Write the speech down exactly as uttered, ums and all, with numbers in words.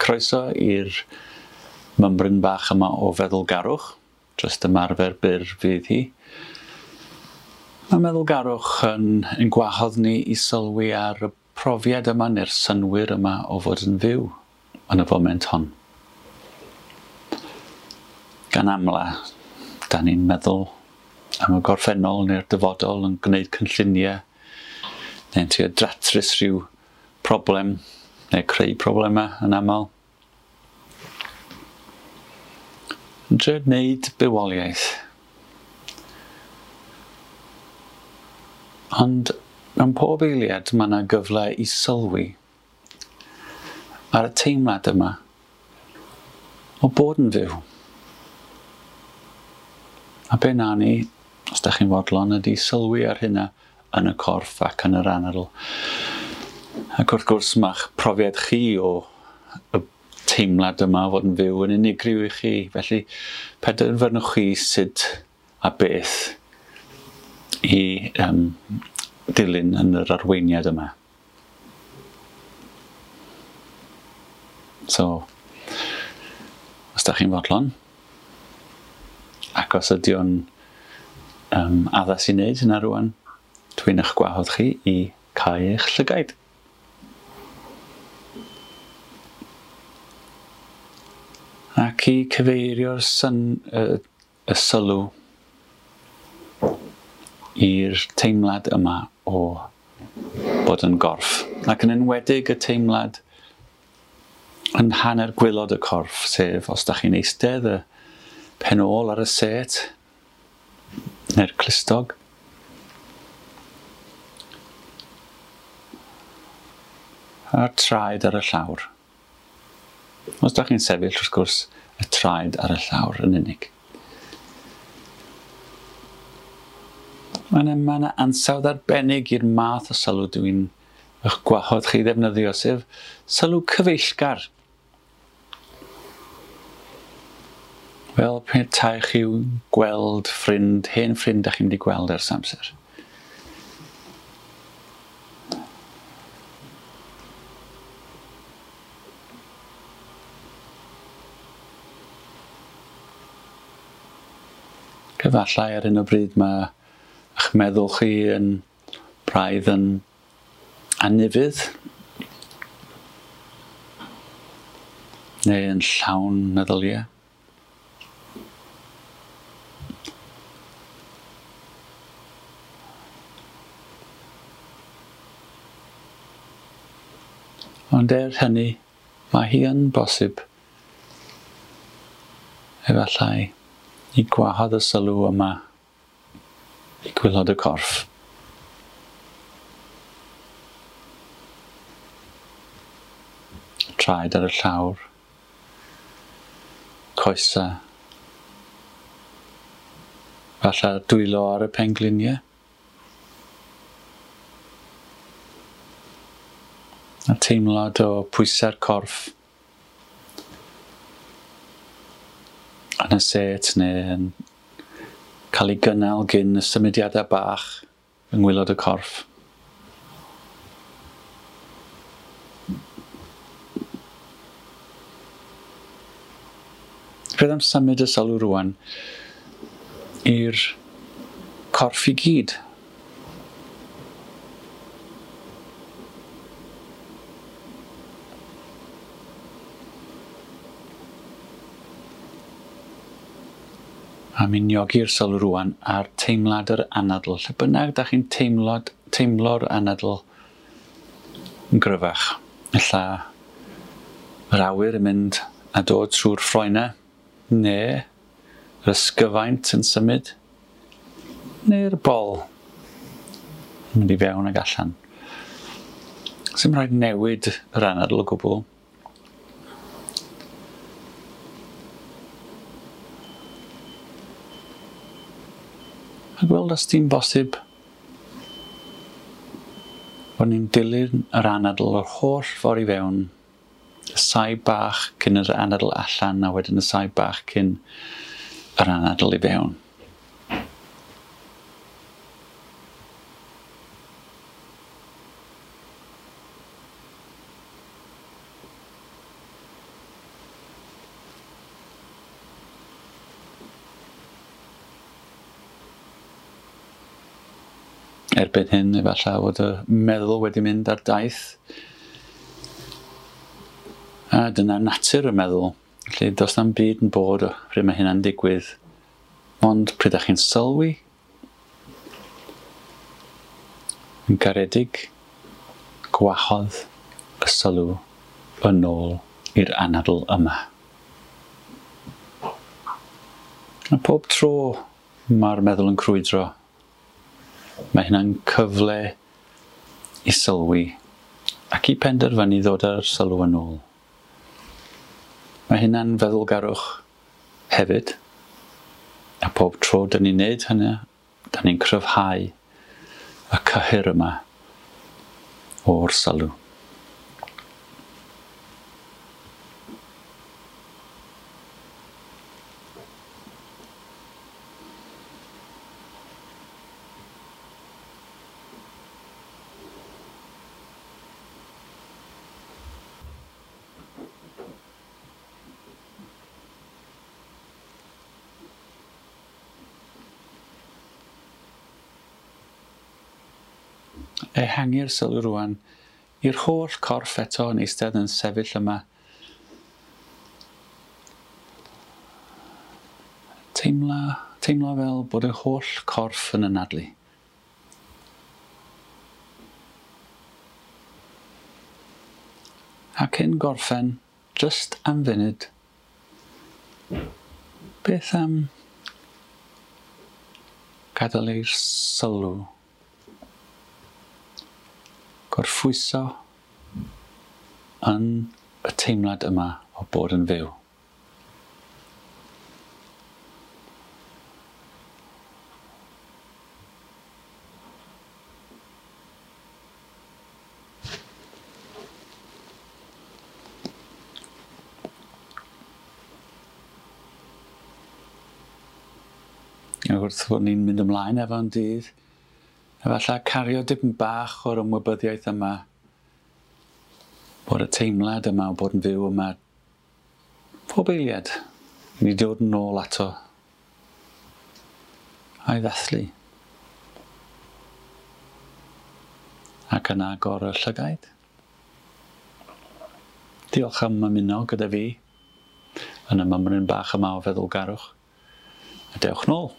Croeso i'r mymryn bach yma o feddylgarwch, jyst ymarfer byr fydd hi. Mae meddylgarwch yn, yn gwahodd ni i sylwi ar y profiad yma neu'r synnwyr yma o fod yn fyw yn y foment hon. Gan amla, da ni'n meddwl am y gorffennol neu'r dyfodol yn gwneud cynlluniau neu'n trio datrys rhyw problem neu creu problemau yn aml. Yn trio gwneud bywoliaeth. Ond mewn pob eiliad mae yna gyfle i sylwi ar y teimlad yma o bod yn fyw. A be na ni, os da chi'n fodlon, ydy sylwi ar hynna yn y corff ac yn yr anadl. Ac wrth gwrs mae'ch profiad chi o y teimlad yma o fod yn fyw yn unigryw i chi. Felly penderfynwch chi sut a beth i um, dilyn yn yr arweiniad yma. So, os da chi'n fodlon, ac os ydy o'n um, addas i wneud hynna rwan, dwi'n eich gwahodd chi i cau eich llygaid. Ac i cyfeirio'r syn, y, y sylw i'r teimlad yma o bod yn gorff. Ac yn enwedig y teimlad yn hanner gwaelod y corff, sef os da chi'n eistedd y pen ôl ar y set neu'r clustog. A'r traed ar y llawr. Os da chi'n sefyll, wrth gwrs, y traed ar y llawr yn unig. Mae yna, mae yna ansawdd arbennig i'r math o sylw dwi'n eich gwahodd chi ddefnyddio, sef sylw cyfeillgar. Fel petai chi gweld ffrind, hen ffrind da chi'n mynd i gweld ers amser. Efallai ar hyn o bryd mae eich meddwl chi yn braidd yn anufudd neu yn llawn meddyliau. Ond er hynny, mae hi yn bosib efallai i gwahodd y sylw yma i gwaelod y corff. Traed ar y llawr, coesau, falle dwylo ar y pengliniau. A teimlad o pwysau'r corff yn y set neu yn cael ei gynnal gyn y symudiadau bach yng ngwaelod y corff. Beth am symud y sylw rwan i'r corff i gyd? A miniogi'r sylw rwan ar teimlad yr anadl. Lle bynnag da chi'n teimlod, teimlo'r anadl yn gryfach. Ella yr awyr yn mynd a dod trwy'r ffroenau, neu yr ysgyfaint yn symud, neu'r bol yn mynd i fewn ag allan. Sdim rhaid newid yr anadl o gwbl. A gweld os di'n bosib bod ni'n dilyn yr anadl yr holl ffordd i fewn, y saib bach cyn yr anadl allan a wedyn y saib bach cyn yr anadl i fewn. Erbyn hyn, efallai fod y meddwl wedi mynd ar daith. A dyna natur y meddwl. Felly does na'm byd yn bod pryd mae hynna'n digwydd. Ond pryd ydych chi'n sylwi, yn garedig, gwahodd y sylw yn ôl i'r anadl yma. A pob tro mae'r meddwl yn crwydro, mae hynna'n cyfle i sylwi ac i penderfynu ddod â'r sylw yn ôl. Mae hynna'n feddwlgarwch hefyd, a pob tro dyn ni'n neud hynny, dyn ni'n cryfhau y cyhyr yma o'r sylw. Ehangu'r sylw rwan i'r holl corff eto yn eistedd yn sefyll yma. Teimla, teimlo fel bod y holl corff yn anadlu. A cyn gorffen, jyst am funud, beth am gadael i'r sylw gorffwyso yn y teimlad yma o bod yn fyw. Wrth fod ni'n mynd ymlaen efo'n dydd, efallai cario dipyn bach o'r ymwybyddiaeth yma, bod y teimlad yma o bod yn fyw yma, pob eiliad, ni dod yn ôl ato a'i ddathlu. Ac yna agor y llygaid. Diolch am ymuno gyda fi yn y mymryn bach yma o feddwlgarwch. A dewch nôl.